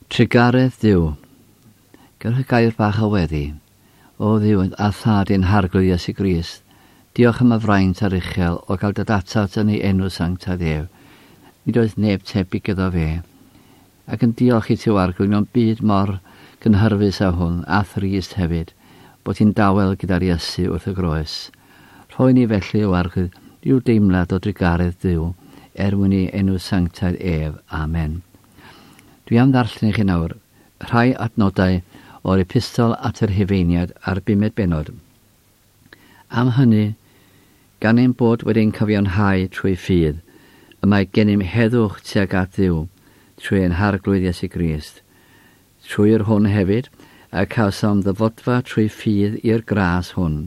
Trugaredd Duw. Gewch y gair bach o weddi. O Dduw a Thad ein Harglwydd Iesu Grist, diolch am y fraint aruchel o gael dod atat yn ei enw sanctaidd ef. Nid oes neb tebyg iddo fe. Ac yn diolch i ti, o Arglwydd, mewn byd mor gynhyrfus â hwn, a thrist hefyd, bod ti'n dawel gyda'r Iesu wrth y groes. Rhoi ni felly, o Arglwydd, ryw deimlad o drugaredd Duw, er mwyn ei enw sanctaidd ef. Amen. Dwi am ddarllen i chi nawr rhai adnodau o'r Epistol at yr Rhufeiniaid a'r bumed bennod. Am hynny, gan ein bod wedi'n cyfiawnhau trwy ffydd, y mae gennym heddwch tuag at Dduw trwy ein Harglwydd Iesu Grist, trwy yr hwn hefyd y cawsom ddyfodfa trwy ffydd i'r gras hwn,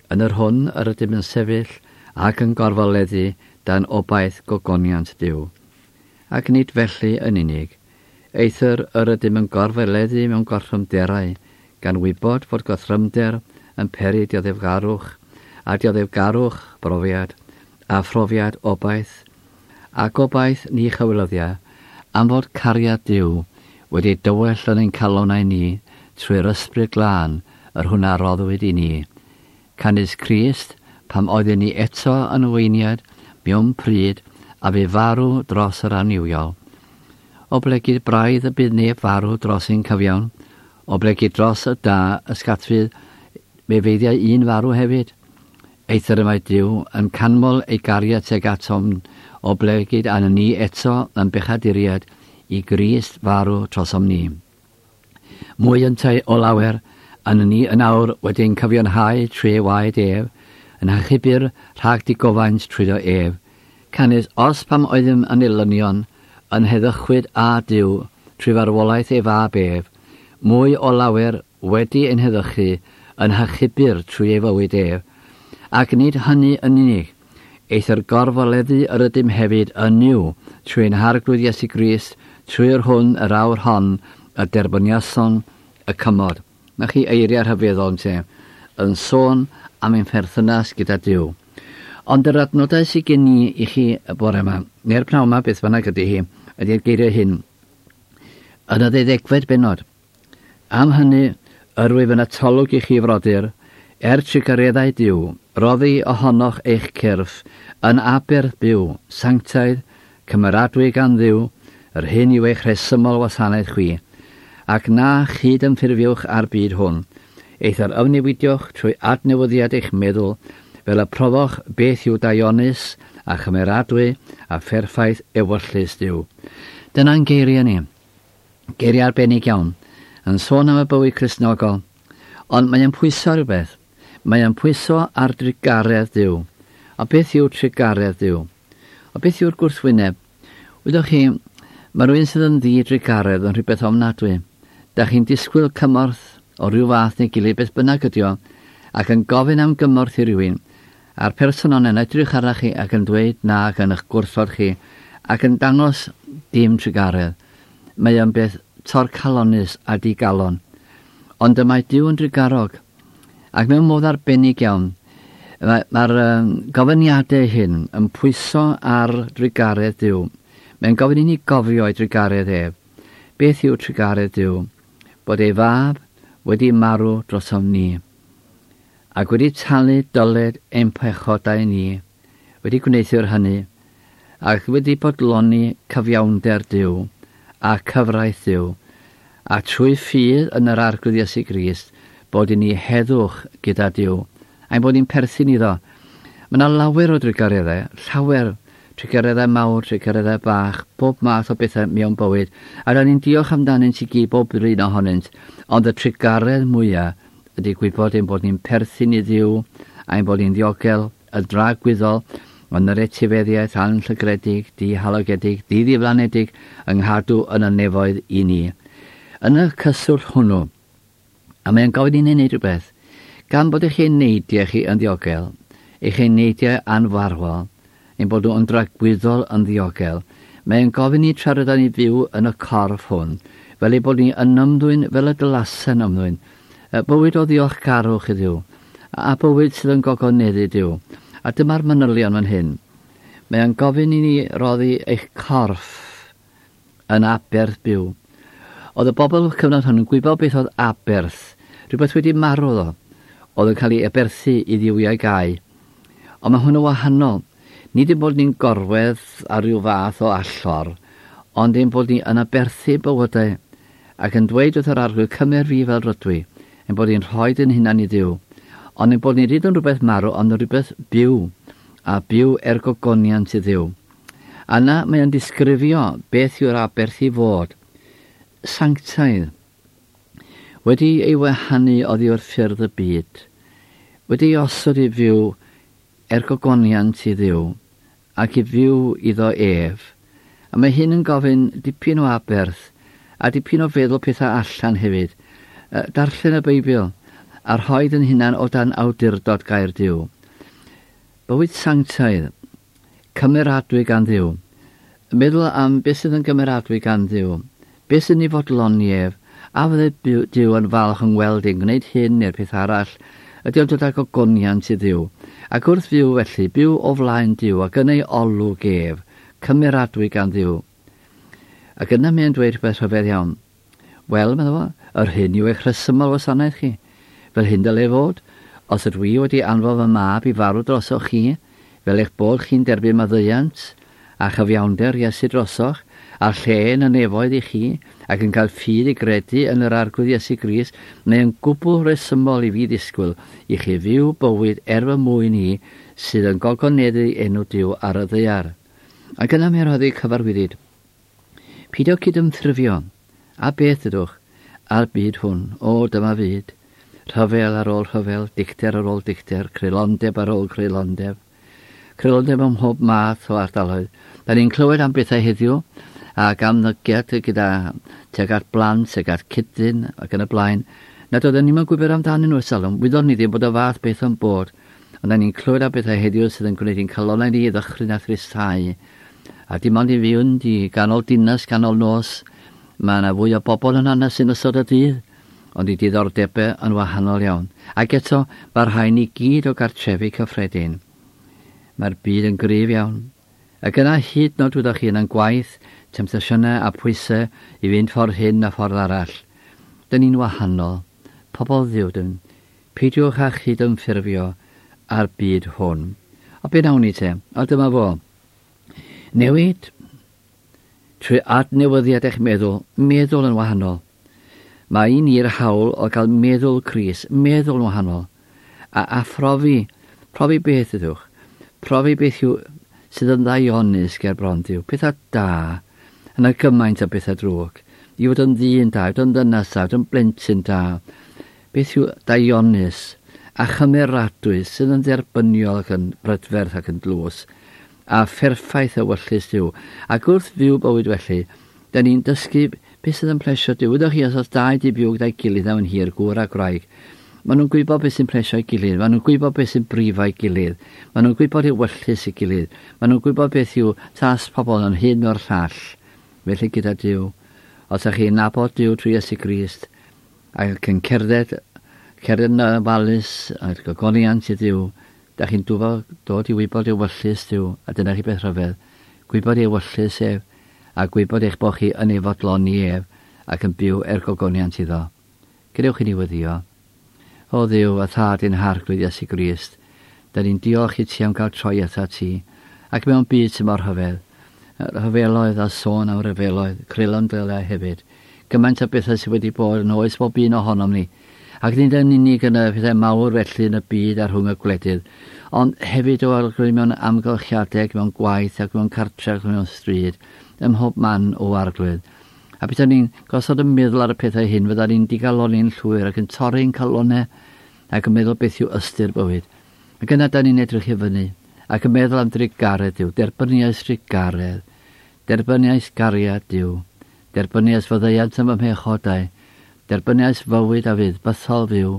yn yr hwn yr ydym yn sefyll ac yn gorfoleddu dan obaith gogoniant Duw. Ac nid felly yn unig, eithr yr ydym yn gorfoleddu mewn gorthrymderau, gan wybod fod gorthrymder yn peri dioddefgarwch, a dioddefgarwch brofiad, a phrofiad obaith, a gobaith ni chywilyddia, am fod cariad Duw wedi dywell yn ein calonnau ni trwy'r Ysbryd Glân yr hwn a roddwyd i ni. Canys Crist, pam oeddwn ni eto yn weiniad mewn pryd, a fu farw dros yr annuwiol. Oblegid braidd y bydd neb farw dros ein cyfiawn, oblegid dros y da ysgatfydd fe feiddiai un farw hefyd. Eithr y mae Duw yn canmol ei gariad tuag atom, oblegid an ni eto yn bechaduriaid i Grist farw trosom ni. Mwy yntau o lawer, yn ni yn awr wedi ein cyfiawnhau trwy ei waed ef, yn hachubir rhag digofaint trwyddo ef. Canys os pam oeddym yn elynion, yn heddychwyd â Duw trwy farwolaeth ei fab ef, mwy o lawer wedi ein heddychu yn hachubir trwy ei fywyd ef. Ac nid hynny yn unig, eithr gorfoleddu yr ydym hefyd yn Nuw trwy ein Harglwydd Iesu Grist, trwy yr hwn yr awr hon y derbyniasom y cymod. 'Na chi eiriau rhyfeddol, ynte, yn sôn am ein pherthynas gyda Duw. Ond yr adnodau sydd gen i i chi y bore yma, neu'r pnawn yma, beth bynnag ydy hi, ydy'r geiriau hyn. Yn y ddeuddegfed bennod, Am hynny, yr wyf yn atolwg i chi, frodyr, er trugareddau Duw, roddi ohonoch eich cyrff yn aberth byw, sanctaidd, cymeradwy gan Dduw, yr hyn yw eich rhesymol wasanaeth chwi. Ac na chyd-ymffurfiwch â'r byd hwn, eithr ymnewidiwch trwy adnewyddiad eich meddwl, fel y profoch beth yw daionus a chymeradwy a pherffaith ewyllys Duw. Dyna'n geiriau ni. Geiriau arbennig iawn, yn sôn am y bywyd Cristnogol. Ond mae e'n pwyso ar rhywbeth. Mae e'n pwyso ar drugaredd Duw. A beth yw trugaredd Duw? A beth yw'r gwrthwyneb? Wyddoch chi, mae rhywun sydd yn ddi-drugaredd yn rhywbeth ofnadwy. Da chi'n disgwyl cymorth o ryw fath neu gilydd, beth bynnag ydi o, ac yn gofyn am gymorth i rywun, a'r person yna'n edrych arnach chi ac yn dweud na ac yn eich gwrthod chi, ac yn dangos dim trugaredd. Mae o'n beth torcalonnus a digalon. Ond y mae Duw yn drugarog, ac mewn modd arbennig iawn, mae'r mae gofyniadau hyn yn pwyso ar drugaredd Duw. Mae'n gofyn i ni gofio ei drugaredd ef. Beth yw trugaredd Duw? Bod ei fab wedi marw drosom ni, ac wedi talu dyled ein pechodau ni, wedi gwneuthur hynny, ac wedi bodloni cyfiawnder Duw a cyfraith Duw, a trwy ffydd yn yr Arglwydd Iesu Grist, bod i ni heddwch gyda Duw, a'n bod ni'n perthyn iddo. Mae yna lawer o drugareddau, llawer, trugareddau mawr, trugareddau bach, bob math o bethau mewn bywyd, a rydyn ni'n diolch amdanynt i gyd, bob un ohonynt, ond y trugaredd mwyaf ydy gwybod ein bod ni'n perthyn i Dduw, a'n bod ni'n ddiogel, y dragwyddol, yn yr etifeddiaeth anllygredig, dihalogedig, diddiflanedig, yng nghadw yn y nefoedd i ni. Yn y cyswllt hwnnw, a mae'n gofyn i ni wneud rhywbeth, gan bod eich eneidiau chi yn ddiogel, eich eneidiau anfarwol, ein bod nhw yn dragwyddol yn ddiogel, mae'n gofyn i tra rydyn ni fyw yn y corff hwn, fel ei bod ni yn ymddwyn fel y dylasen ymddwyn, bywyd o ddiolchgarwch i Dduw, a bywyd sydd yn gogoneddu Duw. A dyma'r manylion fan hyn. Mae o'n gofyn i ni roddi eich corff yn aberth byw. Oedd y bobl o'r cyfnod hwn yn gwybod beth oedd aberth, rhywbeth wedi marw ddo, oedd yn cael ei aberthu i ddiwiau gau. Ond mae hwn yn wahanol. Nid ein bod ni'n gorwedd ar ryw fath o allor, ond ein bod ni yn aberthu bywydau ac yn dweud wrth yr arglwydd cymer fi fel rydw i, ein bod ni'n rhoi yn hunan i ddiw, ond ein bod ni nid yn rhywbeth marw, ond yn rhywbeth byw, a byw er gogoniant i ddiw. Yna mae o'n disgrifio beth yw'r aberth i fod. Sanctaidd, wedi ei wahanu oddi wrth ffyrdd y byd, wedi ei osod i fyw er gogoniant i ddiw, ac i fyw iddo ef. A mae hyn yn gofyn dipyn o aberth, a dipyn o feddwl pethau allan hefyd. Darllen y Beibl, a rhoi yn hunan o dan awdurdod gair Duw. Bywyd sanctaidd, cymeradwy gan Dduw. Meddwl am beth sydd yn gymeradwy gan Dduw. Beth sy'n ei fodloni ef, a fydde Duw yn falch yn weld ein gwneud hyn neu'r peth arall, ydy o'n dod â gogoniant i Dduw. Ac wrth fyw felly, byw o flaen Duw ac yn ei olwg ef, cymeradwy gan Dduw. Ac yna mae'n dweud rhywbeth rhyfedd iawn. Wel, meddwl fo, yr hyn yw eich rhesymol wasanaeth chi. Fel hyn dyle fod, os ydw i wedi anfon fy mab i farw drosoch chi, fel eich bod chi'n derbyn maddeuant a chyfiawnder Iesu drosoch, a lle yn y nefoedd i chi, ac yn cael ffydd i gredu yn yr Arglwydd Iesu Grist, mae yn gwbl resymol i fi ddisgwyl i chi fyw bywyd er fy mwyn i sydd yn gogoneddu enw Duw ar y ddaear. Ac yna mae'n rhoddi cyfarwyddyd. Pidio cydymffurfio, a beth ydwch, a'r byd hwn, o dyma fyd, rhyfel ar ôl rhyfel, dicter ar ôl dicter, creulondeb ar ôl creulondeb, creulondeb ym mhob math o ardaloedd. Da ni'n clywed am bethau heddiw ac am ddygiad gyda tuag at blant, tuag at cydyn ac yn y blaen, nad oedden ni'n gwybod amdanyn nhw ers talwm. Wyddon ni ddim bod y fath beth yn bod. Ond da ni'n clywed am bethau heddiw sydd yn gwneud i'n calonnau ni ddychryn a thristau. A dim ond i fynd i ganol dinas, ganol nos, mae yna fwy o bobl yn hanes yn ystod y dydd, ond i diddordebau yn wahanol iawn. Ac eto, mae'r rhain i gyd o gartrefi cyffredin. Mae'r byd yn gryf iawn. Ac yna hyd nod wyddoch chi yn gwaith, temtasiynau a pwysau i fynd ffordd hyn a ffordd arall. Dyn ni'n wahanol. Pobl ddiw dyn. Peidiwch â chydymffurfio â'r byd hwn. O be nawn ni te? O dyma fo. Newid trwy adnewyddiad eich meddwl, meddwl yn wahanol. Mae i ni'r hawl o gael meddwl Crist, meddwl yn wahanol, a, a phrofi, profi beth ydwch, profi beth yw sydd yn ddaionus ger bron Duw, pethau da, yna gymaint o bethau drwg, i fod yn ddyn da, i fod yn ddynas da, i fod yn blentyn da, beth yw daionus a chymeradwy sydd yn dderbyniol ac yn brydferth ac yn dlws, a pherffaith ewyllys Duw. Ac wrth fyw bywyd felly, da ni'n dysgu beth sydd yn plesio Duw. Wyddoch chi, os oes dau di byw gyda'i gilydd am yn hir, gŵr a gwraig, maen nhw'n gwybod beth sy'n plesio ei gilydd, maen nhw'n gwybod beth sy'n brifo ei gilydd, maen nhw'n gwybod ewyllys ei gilydd, maen nhw'n gwybod beth yw tas pobl yn hyn o'r llall. Felly gyda Duw, os ydych chi'n nabod Duw trwy Iesu Grist, ac yn cerdded, cerdded yn ofalus a'r gogoniant i Dduw, da chi'n dod i wybod ewyllys Duw, a dyna chi beth rhyfedd, gwybod ewyllys ef, a gwybod eich bod chi yn ei fodloni ef, ac yn byw er gogoniant iddo. Gadewch i ni weddio. O Dduw, a Thad ein Harglwydd Iesu Grist, da ni'n diolch i ti am gael troi atat ti, ac mewn byd sy'n mor rhyfedd, rhyfeloedd a sôn am ryfeloedd, creulon deliau hefyd, gymaint o bethau sydd wedi bod yn oes bob un ohonom ni, ac nid yn unig yn y pethau mawr felly yn y byd a rhwng y gwledydd, ond hefyd o arglwydd mewn amgylchiadau, mewn gwaith ac mewn cartref ac mewn stryd, ym mhob man o arglwydd. A beth ni'n gosod y meddwl ar y pethau hyn, fydda ni'n digaloni'n llwyr ac yn torri'n calonau ac yn meddwl beth yw ystyr bywyd. Ac yna da ni'n edrych i fyny ac yn meddwl am drugaredd Duw, derbyniais drugaredd, derbyniais gariad Duw, derbyniais faddeuant am fy mhechodau, derbyniais fywyd a fydd bythol fyw,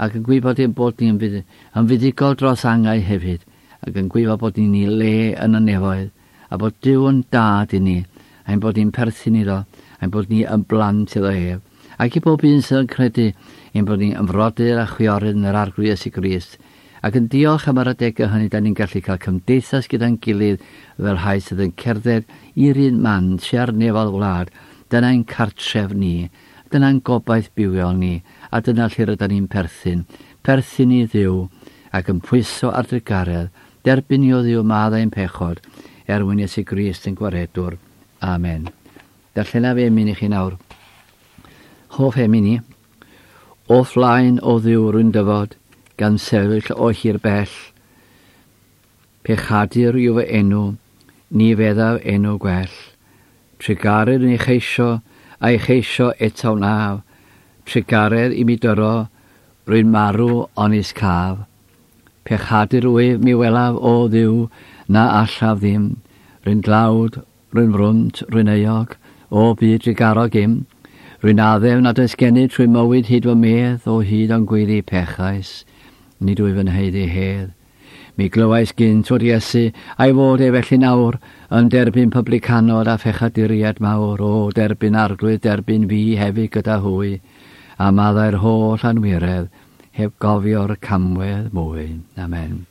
ac yn gwybod ein bod ni'n yn fuddugol dros angau hefyd, ac yn gwybod bod ni'n ei le yn y nefoedd, a bod Duw yn dad i ni, a'n bod ni'n perthyn iddo, a'n bod ni yn blant iddo ef. Ac i bob un sydd yn credu ein bod ni'n ymfrodyr a chwiorydd yn yr Arglwydd Iesu Grist, ac yn diolch am yr adegau hynny da ni'n gallu cael cymdeithas gyda'n gilydd fel rhai sydd yn cerdded i'r un man tua'r nefol wlad, Dyna'n cartref ni, dyna'n gobaith bywiol ni, a dyna lle rydyn ni'n perthyn. Perthyn i Dduw, ac yn pwyso ar drugaredd, derbyn i o Dduw maddau ein pechod, er mwyn Iesu Grist yn gwaredwr. Amen. Darllenaf emyn i chi nawr. Hoff emyn i. O flaen o Dduw rwy'n dyfod, gan sefyll o hir bell. Pechadur yw fy enw, ni feddaf enw gwell. Trugaredd yn ei cheisio, a'i cheisio eto wnaf. Trugaredd i mi dyro, rwy'n marw onis caf. Pechadur wyf mi welaf, o Dduw, na allaf ddim. Rwy'n dlawd, rwy'n frwnt, rwy'n euog, o byd drugarog im. Rwy'n addef nad oes gennyf trwy mywyd hyd fy medd, o hyd ond gweiddi pechais, nid wyf yn haeddu hedd. Mi glywais gynt fod Iesu, a'i fod e felly nawr, yn derbyn publicanod a phechaduriaid mawr, o, derbyn Arglwydd, derbyn fi hefyd gyda hwy, a maddau'r holl anwiredd, heb gofio'r camwedd mwy. Amen.